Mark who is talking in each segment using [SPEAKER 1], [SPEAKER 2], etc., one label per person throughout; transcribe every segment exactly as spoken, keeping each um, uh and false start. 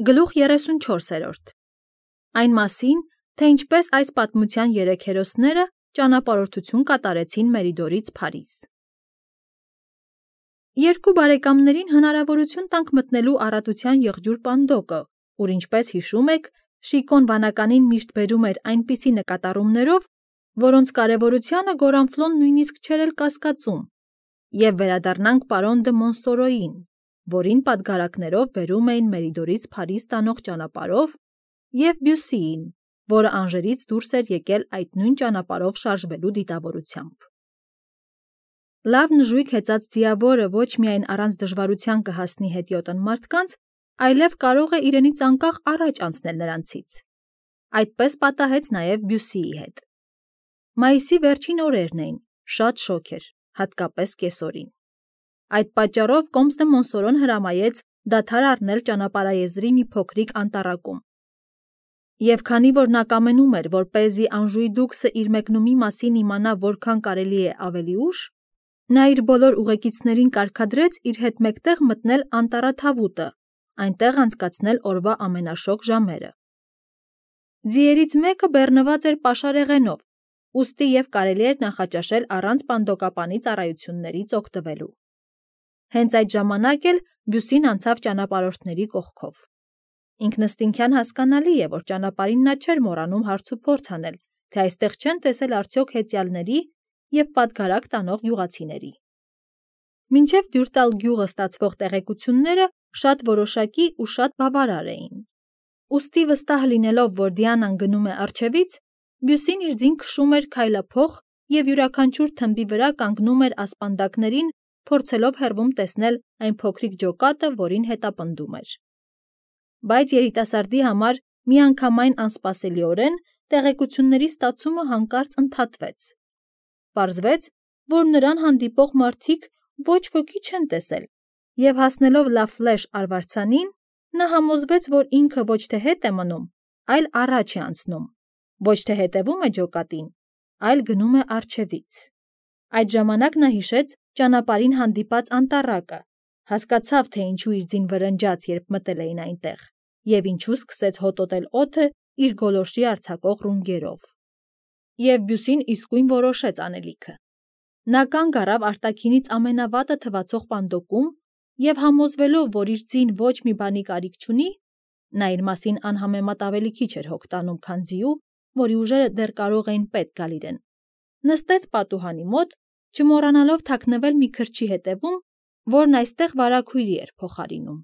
[SPEAKER 1] Գլուխ երեսունչորսերորդ Այն մասին, թե ինչպես այս պատմության երեք հերոսները ճանապարհորդություն կատարեցին Մերիդորից Փարիզ։ Երկու բարեկամներին հնարավորություն տանք մտնելու առատության եղջյուր Պանդոկը, ուր ինչպես հիշում եք, Շիկոն վանականին միշտ բերում էր այնպիսի նկատառումներով, որոնց կարևորությանը Գորանֆլոն նույնիսկ չէր էլ կասկածում, և վերադառնանք պարոն դը Մոնսորոյին, որին պատգարակներով բերում էին Մերիդորից Փարիզ տանող ճանապարհով, և Բյուսիին, որը Անժերից դուրս էր եկել այդ նույն ճանապարհով շարժվելու դիտավորությամբ։ Լավ նժույգ հեծած ձիավորը ոչ միայն առանց դժվարության կհասնի հետիոտն մարդկանց, այլև կարող է իրենից անկախ առաջ անցնել նրանցից։ Այդպես պատահեց նաև Բյուսիի հետ։ Մայիսի վերջին օրերն էին, շատ շոգ էր, հատկապես կեսօրին։ Այդ պատճառով Կոմս դը Մոնսորոն հրամայեց դադար առնել ճանապարհաեզրի մի փոքրիկ անտառակում։ Եվ քանի որ նա կամենում էր, որպեսզի Անժուի դուքսը իր մեկնումի մասին իմանա որքան կարելի է ավելի ուշ, նա իր բոլոր ուղեկիցներին կարգադրեց իր հետ մեկտեղ մտնել անտառաթավուտը, այնտեղ անցկացնել օրվա ամենաշոգ ժամերը։ Ձիերից մեկը բեռնված էր պաշարեղենով, ուստի և կարելի էր նախաճաշել առանց պանդոկապանի ծառայություններից օգտվելու։ Հենց այդ ժամանակ էլ Բյուսին անցավ ճանապարհորդների կողքով։ Ինքնըստինքյան հասկանալի է, որ ճանապարհին նա չէր մոռանում հարց ու փորձ անել, թե այստեղ չեն տեսել արդյոք հեծյալների և պատգարակ տանող գյուղացիների։ Մինչև Դյուրտալ գյուղը ստացվող տեղեկությունները շատ որոշակի ու շատ բավարար էին։ Ուստի վստահ լինելով, որ Դիանան գնում է առջևից, Բյուսին իր ձին քշում էր քայլափող և յուրաքանչյուր թմբի վրա կանգնում էր ասպանդակներին, փորձելով հեռվում տեսնել այն փոքրիկ ջոկատը, որին հետապնդում էր։ Բայց երիտասարդի համար միանգամայն անսպասելիորեն տեղեկությունների ստացումը հանկարծ ընդհատվեց։ Պարզվեց, որ նրան հանդիպող մարդիկ ոչ ոքի չեն տեսել, և հասնելով Լաֆլեշ արվարձանին, նա համոզվեց, որ ինքը ոչ թե հետ է մնում, այլ առաջ է անցնում, ոչ թե հետևում է ջոկատին, այլ գնում է առջևից։ Այդ ժամանակ նա հիշեց ճանապարհին հանդիպած անտառակը, հասկացավ, թե ինչու իր ձին վրնջաց, երբ մտել էին այնտեղ, և ինչու սկսեց հոտոտել օդը իր գոլորշի արձակող ռունգերով։ Եվ Բյուսին իսկույն որոշեց անելիքը։ Նա կանգ առավ արտաքինից ամենավատը թվացող պանդոկում և համոզվելով, որ իր ձին ոչ մի բանի կարիք չունի, նա իր մասին անհամեմատ ավելի քիչ էր հոգ տանում, քան ձիու, որի ուժերը դեռ կարող էին պետք գալ իրեն, նստեց պատուհանի մոտ, չմոռանալով թաքնվել մի քրչի հետևում, որն այստեղ վարագույրի էր փոխարինում։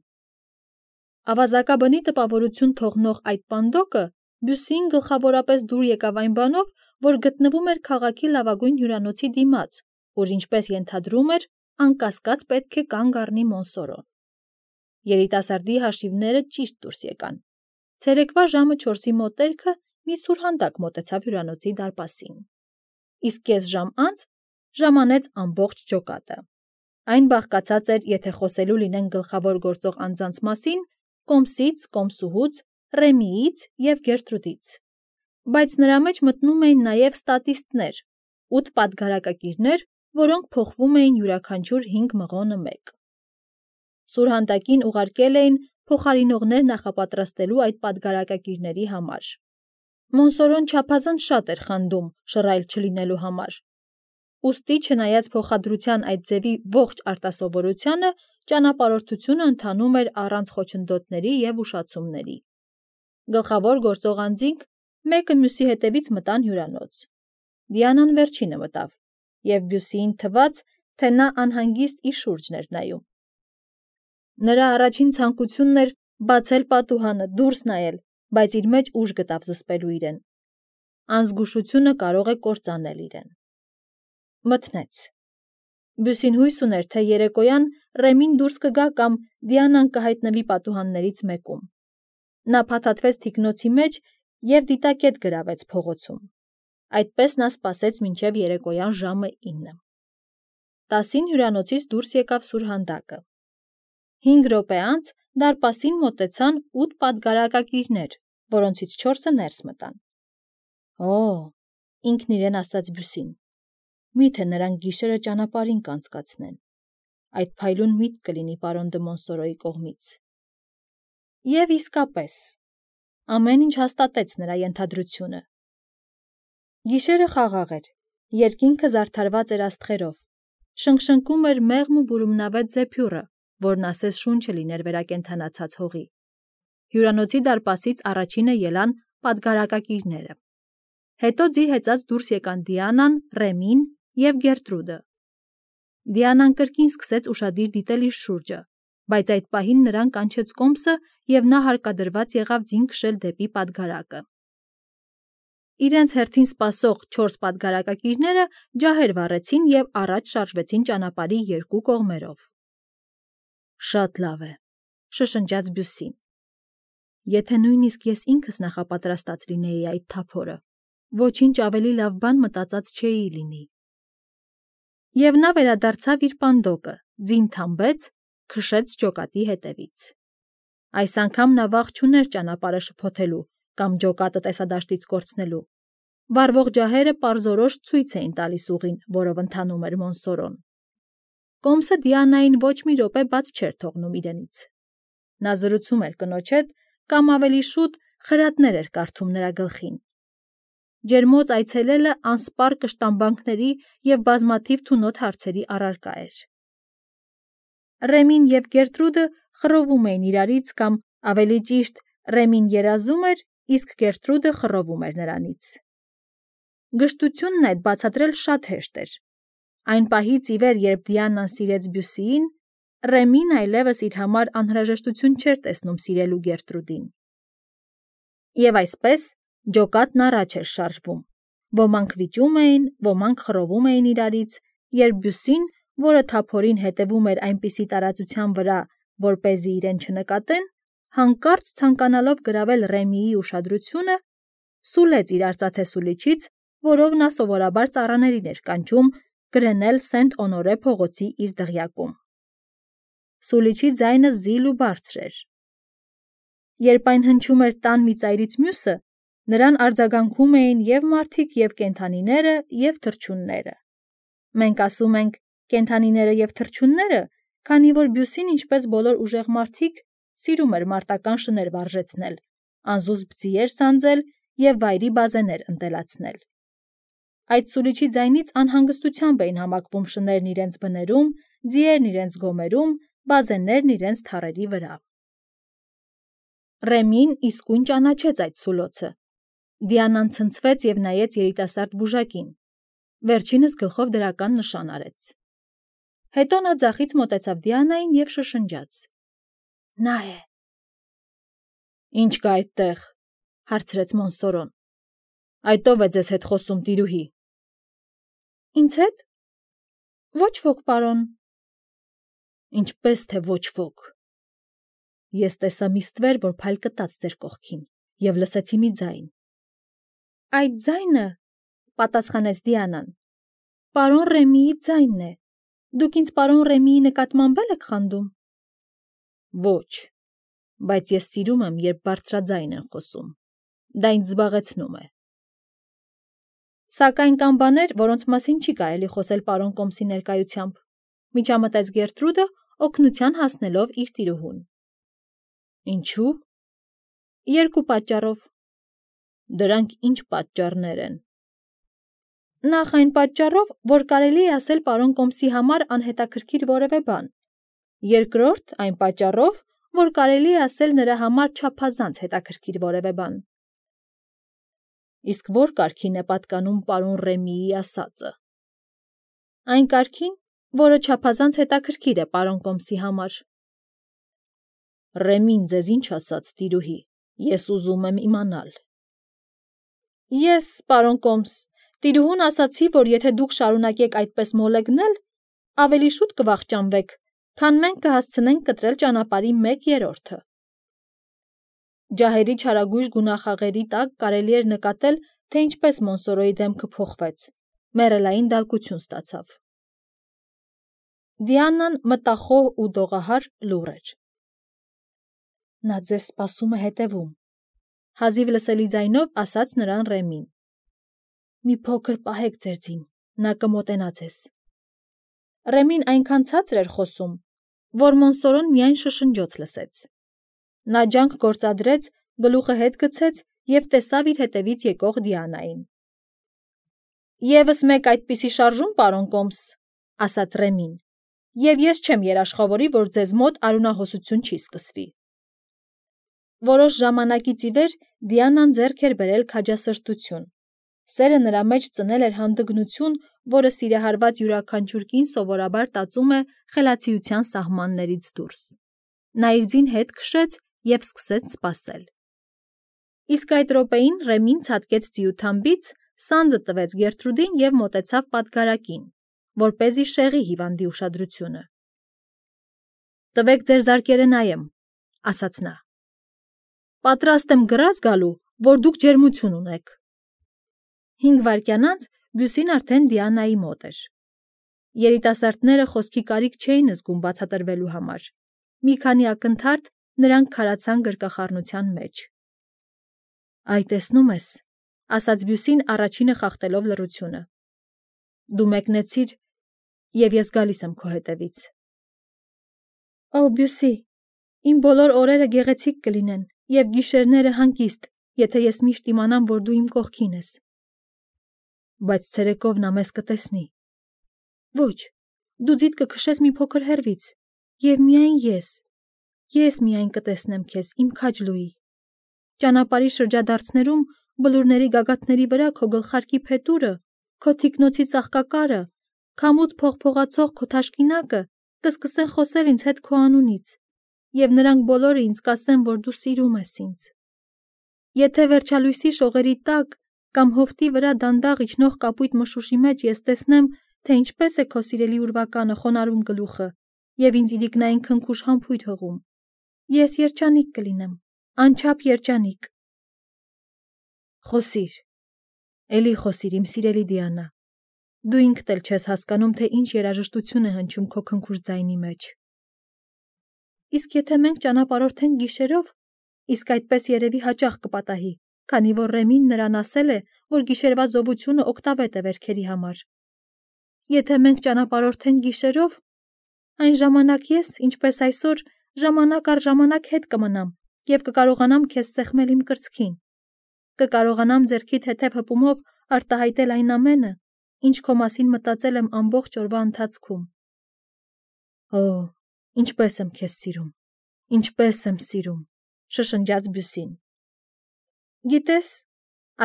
[SPEAKER 1] Ավազակաբնի տպավորություն թողնող այդ պանդոկը Բյուսիին գլխավորապես դուր եկավ այն բանով, որ գտնվում էր քաղաքի լավագույն հյուրանոցի դիմաց, ուր, ինչպես ենթադրում էր, անկասկած պետք է կանգ առնի Մոնսորոն։ Երիտասարդի հաշիվները ճիշտ դուրս եկան։ Ցերեկվա ժամը չորսի մոտերքը մի սուրհանդակ մոտեցավ հյուրանոցի դարպասին։ Իսկ կես ժամ անց ժամանեց ամբողջ ջոկատը։ Այն բաղկացած էր, եթե խոսելու լինենք գլխավոր գործող անձանց մասին, Կոմսից, Կոմսուհուց, Ռեմիից և Գերտրուդից, բայց նրա մեջ մտնում էին նաև ստատիստներ, ութ պատգարակակիրներ, որոնք փոխվում էին յուրաքանչյուր հինգ մղոնը մեկ։ Սուրհանդակին ուղարկել էին փոխարինողներ նախապատրաստելու այդ պատգարակակիրների համար։ Մոնսորոն չափազանց շատ էր խանդում շռայլ չլինելու համար։ Ուստի, չնայած փոխադրության այդ ձևի ողջ արտասովորությանը, ճանապարհորդությունը ընթանում էր առանց խոչընդոտների և ուշացումների։ Գլխավոր գործող անձինք մեկը մյուսի հետևից մտան հյուրանոց։ Դիանան վերջինը մտավ, և Բյուսիին թվաց, թե նա անհանգիստ իր շուրջն էր նայում։ Նրա առաջին ցանկությունն էր բացել պատուհանը, դուրս նայել, բայց իր մեջ ուժ գտավ զսպելու իրեն։ Անզգուշությունը կարող է կործանել իրեն։ Մթնեց։ Բյուսին հույս ուներ, թե երեկոյան Ռեմին դուրս կգա կամ Դիանան կհայտնվի պատուհաններից մեկում։ Նա փաթաթվեց թիկնոցի մեջ և դիտակետ գրավեց փողոցում։ Այդպես նա սպասեց մինչև երեկոյան ժամը ինը։ Տասին հյուրանոցից դուրս եկավ սուրհանդակը։ Հինգ րոպե անց դարպասին մոտեցան ութ պատգարակակիրներ, որոնցից չորսը ներս մտան։ Օ՜, ինքն իրեն ասաց Բյուսին, միթե նրանք գիշերը ճանապարհին կանցկացնեն։ Այդ փայլուն միտք կլինի պարոն դը Մոնսորոյի կողմից։ Եվ իսկապես, ամեն ինչ հաստատեց նրա ենթադրությունը։ Գիշերը խաղաղ էր, երկինքը զարդարված էր աստղերով, շնշնկում էր մեղմ ու բուրումնավետ զեփյուռը, որն ասես շունչը լիներ վերակենդանացած հողի։ Հյուրանոցի դարպասից առաջինը ելան պատգարակակիրները։ Հետո ձի հեծած դուրս եկան Դիանան, Ռեմին և Գերտրուդը։ Դիանան կրկին սկսեց ուշադիր դիտել իր շուրջը, բայց այդ պահին նրան կանչեց կոմսը և նա հարկադրված եղավ ձին քշել դեպի պատգարակը։ Իրենց հերթին սպասող չորս պատգարակակիրները ջահեր վառեցին և առաջ շարժվեցին ճանապարհի երկու կողմերով։ Շատ լավ է, շշնջաց Բյուսին։ Եթե նույնիսկ ես ինքս նախապատրաստած լինեի այդ թափորը, ոչինչ ավելի լավ բան մտածած չէի լինի։ Եվ նա վերադարձավ իր պանդոկը, ձին թամբեց, քշեց ջոկատի հետևից։ Այս անգամ նա վախ չուներ ճանապարհը շփոթելու կամ ջոկատը տեսադաշտից կորցնելու։ Վառվող ջահերը պարզորոշ ցույց էին տալիս ուղին, որով ընթանում էր Մոնսորոն։ Կոմսը Դիանային ոչ մի րոպե բաց չէր թողնում իրենից։ Նա զրուցում էր կնոջ հետ, կամ ավելի շուտ խրատներ էր կարդում նրա գլխին։ Ջերմոց այցելելը անսպառ կշտամբանքների և բազմաթիվ թունոտ հարցերի առարկա էր։ Ռեմին և Գերտրուդը խռովում էին իրարից կամ, ավելի ճիշտ, Ռեմին երազում էր, իսկ Գերտրուդը խռովում էր նրանից։ Գժտությունն այդ բացատրել շատ հեշտ էր։ Այն պահից ի վեր, երբ Դիանան սիրեց Բյուսիին, Ռեմին այլևս իր համար անհրաժեշտություն չէր տեսնում սիրելու Գերտրուդին։ Եվ այսպես ջոկատն առաջ էր շարժվում։ Ոմանք վիճում էին, ոմանք խռովում էին իրարից, երբ Բյուսին, որը թափորին հետևում էր այնպիսի տարածության վրա, որպեսզի իրեն չնկատեն, հանկարծ ցանկանալով գրավել Ռեմիի ուշադրությունը, սուլեց իր արծաթե սուլիչից, որով նա սովորաբար ծառաներին էր կանչում Գրենել Սենտ-Օնորե փողոցի իր դղյակում։ Սուլիչի ձայնը զիլ ու բարձր էր։ Երբ այն հնչում էր տան մի ծայրից մյուսը, նրան արձագանքում էին և մարդիկ, և կենդանիները, և թռչունները։ Մենք ասում ենք կենդանիները և թռչունները, քանի որ Բյուսին, ինչպես բոլոր ուժեղ մարդիկ, սիրում էր մարտական շներ վարժեցնել, անզուսպ ձիեր սանձել և վայրի բազեներ ընտելացնել։ Այդ սուլիչի ձայնից անհանգստությամբ էին համակվում շներն իրենց բներում, ձիերն իրենց գոմերում, բազեններն իրենց թառերի վրա։ Ռեմին իսկույն ճանաչեց այդ սուլոցը։ Դիանան ցնցվեց և նայեց երիտասարդ բուժակին։ Վերջինս գլխով դրական նշան արեց։ Հետո նա ձախից մոտեցավ Դիանային և շշնջաց. Նա է։ Ինչ կա այդտեղ, հարցրեց Մոնսորոն։ Այդ ո՞վ է ձեզ հետ խոսում, տիրուհի։ Ինձ հետ։ Ոչ ոք, պարոն։ Ինչպես թե ոչ ոք։ Ես տեսա մի ստվեր, որ փայլ կտաց ձեր կողքին, և լսեցի մի ձայն։ Այդ ձայնը, պատասխանեց Դիանան, պարոն Ռեմիի ձայնն է։ Դուք ինձ պարոն Ռեմիի նկատմամբ եք խանդում։ Ոչ, բայց ես սիրում եմ, երբ բարձրաձայն են խոսում։ Դա ինձ զբաղեցնում է։ Սակայն կան բաներ, որոնց մասին չի կարելի խոսել պարոն Կոմսի ներկայությամբ, միջամտեց Գերտրուդը, օգնության հասնելով իր տիրուհուն։ Ինչու՞։ Երկու պատճառով։ Դրանք ինչ պատճառներ են։ Նախ այն պատճառով, որ կարելի է ասել պարոն Կոմսի համար անհետաքրքիր որևէ բան։ Երկրորդ այն պատճառով, որ կարելի է ասել նրա համար չափազանց հետաքրքիր որևէ բան։ Իսկ որ կարգին է պատկանում պարոն Ռեմիի ասածը։ Այն կարգին, որը չափազանց հետաքրքիր է պարոն Կոմսի համար։ Ռեմին ձեզ ինչ ասաց, տիրուհի, ես ուզում եմ իմանալ։ Ես, պարոն Կոմս, տիրուհուն ասացի, որ եթե դուք շարունակեք այդպես մոլեգնել, ավելի շուտ կվախճանվեք, քան մենք կհասցնենք կտրել ճանապարհի մեկ երրորդը։ Ջահերի չարագույժ գունախաղերի տակ կարելի էր նկատել, թե ինչպես Մոնսորոյի դեմքը փոխվեց, մեռելային դալկություն ստացավ։ Դիանան մտախոհ ու դողահար լուռ էր։ Նա ձեզ սպասում է հետևում, հազիվ լսելի ձայնով ասաց նրան Ռեմին։ Մի փոքր պահեք ձեր ձին, նա կմոտենա ձեզ։ Ռեմին այնքան ցածր էր խոսում, որ Մոնսորոն միայն շշնջոց լսեց։ Նա ջանք գործադրեց, գլուխը հետ գցեց և տեսավ իր հետևից եկող Դիանային։ «Եվս մեկ այդպիսի շարժում, պարոն Կոմս, ասաց Ռեմին, և ես չեմ երաշխավորի, որ ձեզ մոտ արյունահոսություն չի սկսվի»։ Որոշ ժամանակից ի վեր Դիանան ձեռք էր բերել քաջասրտություն։ Սերը նրա մեջ ծնել էր հանդգնություն, որը սիրահարված յուրաքանչյուր կին սովորաբար տածում է խելացիության սահմաններից դուրս։ Նա իր ձին հետ քշեց և սկսեց սպասել։ Իսկ այդ րոպեին Ռեմին ցատկեց ձիութամբից, սանձը տվեց Գերտրուդին և մոտեցավ պատգարակին, որպեսզի շեղի հիվանդի ուշադրությունը։ «Տվեք ձեր զարկերը նայեմ», ասաց նա։ «Պատրաստ եմ գրազ գալու, որ դուք ջերմություն ունեք»։ Հինգ վայրկյան անց Բյուսին արդեն Դիանայի մոտ էր։ Երիտասարդները խոսքի կարիք չէին զգում բացատրվելու համար։ Մի քանի ակնթարթ նրանք քարացան գրկախառնության մեջ։ «Այ տեսնում ես», ասաց Բյուսին առաջինը խախտելով լռությունը։ «Դու մեկնեցիր, և ես գալիս եմ քո հետևից»։ «Օ, Բյուսի, իմ բոլոր օրերը գեղեցիկ կլինեն և գիշերները հանգիստ, եթե ես միշտ իմանամ, որ դու իմ կողքին ես»։ «Բայց ցերեկով նա մեզ կտեսնի»։ «Ոչ, դու ձիթ կքշես մի փոքր հեռվից, և միայն ես, ես միայն կտեսնեմ քեզ, իմ քաջ Լուի։ Ճանապարհի շրջադարձներում, բլուրների գագաթների վրա քո գլխարկի փետուրը, քո թիկնոցի ծաղկակարը, քամուց փողփողացող քո թաշկինակը կսկսեն խոսել ինձ հետ քո անունից, և նրանք բոլորը ինձ կասեն, որ դու սիրում ես ինձ։ Եթե վերջալույսի շողերի տակ կամ հովտի վրա դանդաղ իջնող կապույտ մշուշի մեջ ես տեսնեմ, թե ինչպես է քո սիրելի ուրվականը խոնարհում գլուխը և ինձ իրիկնային քնքուշ համբույր հղում, ես երջանիկ կլինեմ, անչափ երջանիկ»։ «Խոսիր, էլի խոսիր, իմ սիրելի Դիանա, դու ինքդ էլ չես հասկանում, թե ինչ երաժշտություն է հնչում քո քնքուշ ձայնի մեջ»։ «Իսկ եթե մենք ճանապարհորդենք գիշերով, իսկ այդպես երևի հաճախ կպատահի, քանի որ Ռեմին նրան ասել է, որ գիշերվա զովությունը օգտավետ է վերքերի համար։ Եթե մենք ճանապարհորդենք գիշերով, այն ժամանակ ես, ինչպես այսօր, ժամանակ առ ժամանակ հետ կմնամ և կկարողանամ քեզ սեղմել իմ կրծքին, կկարողանամ ձեռքիդ հետև հպումով արտահայտել այն ամենը, ինչ քո մասին մտածել եմ ամբողջ օրվա ընթացքում։ Օ, ինչպես եմ քեզ սիրում, ինչպես եմ սիրում, շշնջաց Բյուսին։ «Գիտես»,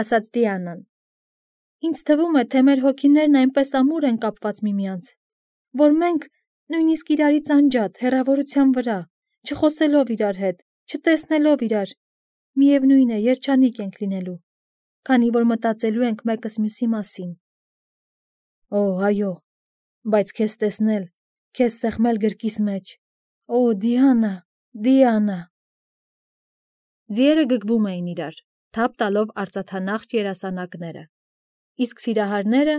[SPEAKER 1] ասաց Դիանան, «ինձ թվում է, թե մեր հոգիներն այնպես ամուր են կապված միմյանց, որ մենք, նույնիսկ իրարից անջատ, հեռավորության վրա, չխոսելով իրար հետ, չտեսնելով իրար, միևնույն է, երջանիկ ենք լինելու, քանի որ մտածելու ենք մեկս մյուսի մասին»։ «Օ, այո, բայց քեզ տեսնել, քեզ սեղմել գրկիս մեջ, օ, Դիանա, Դիանա»։ Ձիերը գգվում էին իրար, թափ տալով արծաթանախշ երասանակները, իսկ սիրահարները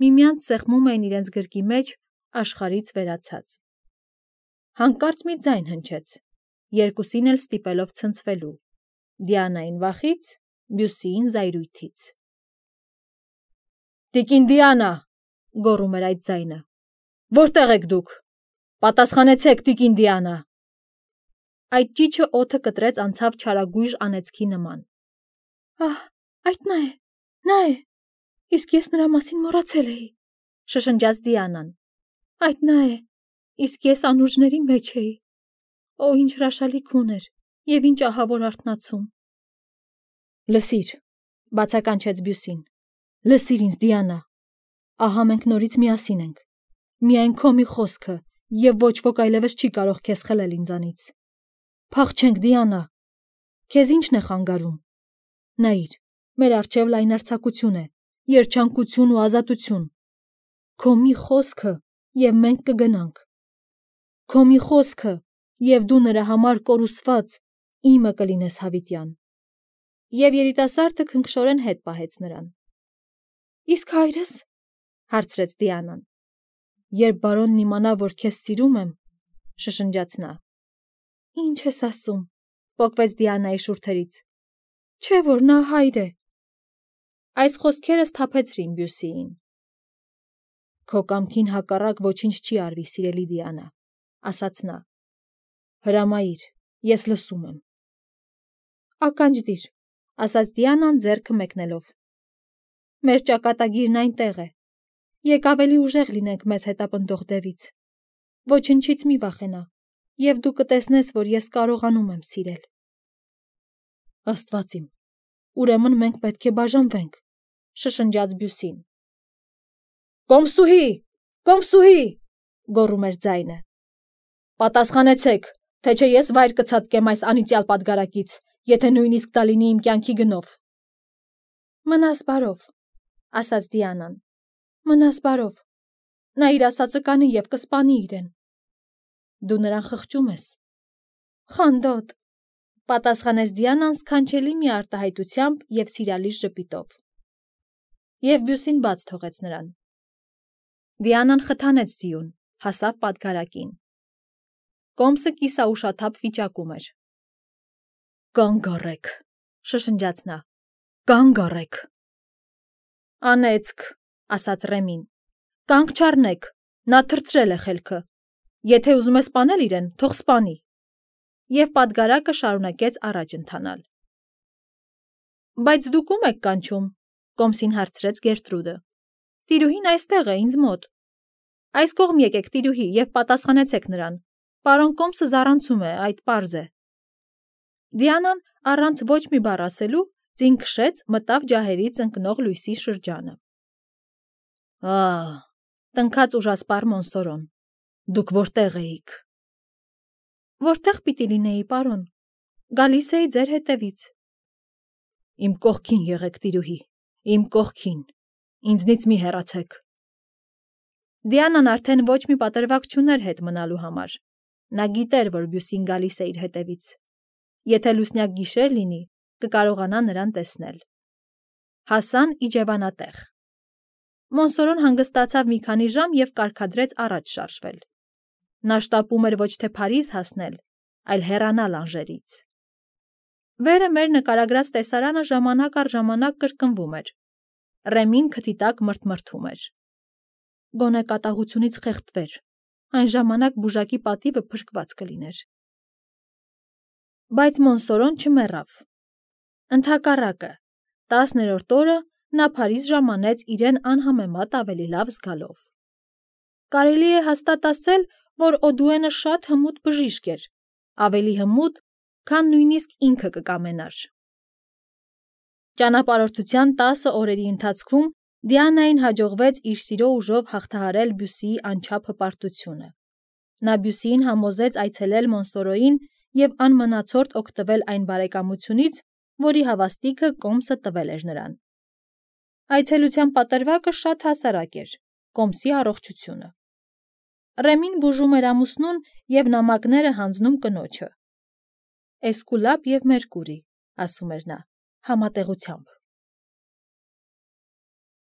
[SPEAKER 1] միմյանց սեղմում էին իրենց գրկի մեջ աշխարհից վերացած։ Հանկարծ մի ձայն հնչեց, երկուսին էլ ստիպելով ցնցվելու՝ Դիանային վախից, Բյուսիին զայրույթից։ «Տիկին Դիանա», գոռում էր այդ ձայնը, «որտե՞ղ եք դուք, պատասխանեցեք, տիկին Դիանա»։ Այդ ճիչը օդը կտրեց անցավ չարագույժ անեծքի նման։ «Ահ, այդ նա է, նա է, իսկ ես նրա մասին մոռացել էի», շշնջաց Դիանան։ «Այդ նա է, իսկ ես անուրջների մեջ էի։ Օ, ինչ հրաշալի քուն էր, և ինչ ահավոր արթնացում»։ «Լսիր», բացականչեց Բյուսին, «լսիր ինձ, Դիանա, ահա մենք նորից միասին ենք, միայն քո մի խոսքը, և ոչ ոք այլևս չի կարող քեզ խլել ինձանից։ Փախչենք, Դիանա, քեզ ի՞նչն է խանգարում։ Նայիր, մեր առջև լայնարձակություն է, երջանկություն ու ազատություն։ Քո մի խոսքը, և մենք կգնանք։ Քո մի խոսքը, և դու նրա համար կորուսված իմը կլինես հավիտյան»։ Եվ երիտասարդը քնքշորեն հետ պահեց նրան։ «Իսկ հայրս», հարցրեց Դիանան։ «Երբ բարոնն իմանա, որ քեզ սիրում եմ», շշնջաց նա։ «Ինչ ես ասում», պոկվեց Դիանայի շուրթերից, «չէ՞ որ նա հայր է»։ Այս խոսքերը սթափեցրին Բյուսիին։ «Քո կամքին հակառակ ոչինչ չի արվի, սիրելի Դիանա», ասաց նա։ «Հրամայիր, ես լսում եմ»։ Ականջդիր, ասաց Դիանան ձեռքը մեկնելով։ Մեր ճակատագիրն այնտեղ է։ Եկ ավելի ուժեղ լինենք մեզ հետապնդող դևից։ Ոչնչից մի վախենա, և դու կտեսնես, որ ես կարողանում եմ սիրել։ Աստված իմ, ուրեմն մենք պետք է բաժանվենք, շշնջաց Բյուսին։ Կոմսուհի, Կոմսուհի, գոռում էր ձայնը։ Պատասխանեցեք, թե չէ ես վայր կցատկեմ այս անիծյալ պատգարակից, եթե նույնիսկ դա լինի իմ կյանքի գնով։ Մնաս բարով, ասաց Դիանան։ Մնաս բարով։ Նա իր ասածը կանի և կսպանի իրեն։ Դու նրան խղճում ես։ Խանդոտ, պատասխանեց Դիանան սքանչելի մի արտահայտությամբ և սիրալիր ժպիտով։ Եվ Բյուսին բաց թողեց նրան։ Դիանան խթանեց ձիուն, հասավ պատգարակին։ Կոմսը կիսաուշաթափ վիճակում էր։ Կանգ առեք, շշնջաց նա։ Կանգ առեք։ Անեծք, ասաց Ռեմին։ Կանգ չառնեք, նա թռցրել է խելքը։ Եթե ուզում է սպանել իրեն, թող սպանի։ Եվ պատգարակը շարունակեց առաջ ընթանալ։ Բայց դուք ո՞ւմ եք կանչում, Կոմսին հարցրեց Գերտրուդը։ Տիրուհին այստեղ է, ինձ մոտ։ Այս կողմ եկեք, տիրուհի, և պատասխանեցեք նրան։ Պարոն Կոմսը զառանցում է, այդ պարզ է։ Դիանան առանց ոչ մի բառ ասելու ձին քշեց, մտավ ջահերից ընկնող լույսի շրջանը։ Ահ, տնքաց ուժասպառ Մոնսորոն, դուք որտեղ էիք։ Որտեղ պիտի լինեի, պարոն, գալիս էի ձեր հետևից։ Իմ կողքին եղեք, տիրուհի, իմ կողքին, ինձնից մի հեռացեք։ Դիանան արդեն ոչ մի պատրվակ չուներ հետ մնալու համար։ Նա գիտեր, որ Բյուսին գալիս է իր հետևից։ Եթե լուսնյակ գիշեր լինի, կկարողանա նրան տեսնել։ Հասան իջևանատեղ։ Մոնսորոն հանգստացավ մի քանի ժամ և կարգադրեց առաջ շարժվել։ Նա շտապում էր ոչ թե Փարիզ հասնել, այլ հեռանալ Անժերից։ Վերը մեր նկարագրած տեսարանը ժամանակ առ ժամանակ կրկնվում էր։ Ռեմին քթի տակ մրթմրթում էր։ Գոնե կատաղությունից խեղդվեր, այն ժամանակ բուժակի պատիվը փրկված կլիներ։ Բայց Մոնսորոն չմեռավ։ Ընդհակառակը, տասներորդ օրը նա Փարիզ ժամանեց իրեն անհամեմատ ավելի լավ զգալով։ Կարելի է հաստատ ասել, որ Օդուենը շատ հմուտ բժիշկ էր, ավելի հմուտ, քան նույնիսկ ինքը կկամենար։ Ճանապարհորդության տասը օրերի ընթացքում Դիանային հաջողվեց իր սիրո ուժով հաղթահարել Բյուսիի անչափ հպարտությունը։ Նա Բյուսիին համոզեց այցելել Մոնսորոյին և անմնացորդ օգտվել այն բարեկամությունից, որի հավաստիքը Կոմսը տվել էր նրան։ Այցելության պատրվակը շատ հասարակ էր, Կոմսի առողջությունը։ Ռեմին բուժում էր ամուսնուն և նամակները հանձնում կնոջը։ Էսկուլապ և Մերկուրի, ասում էր նա, համատեղությամբ։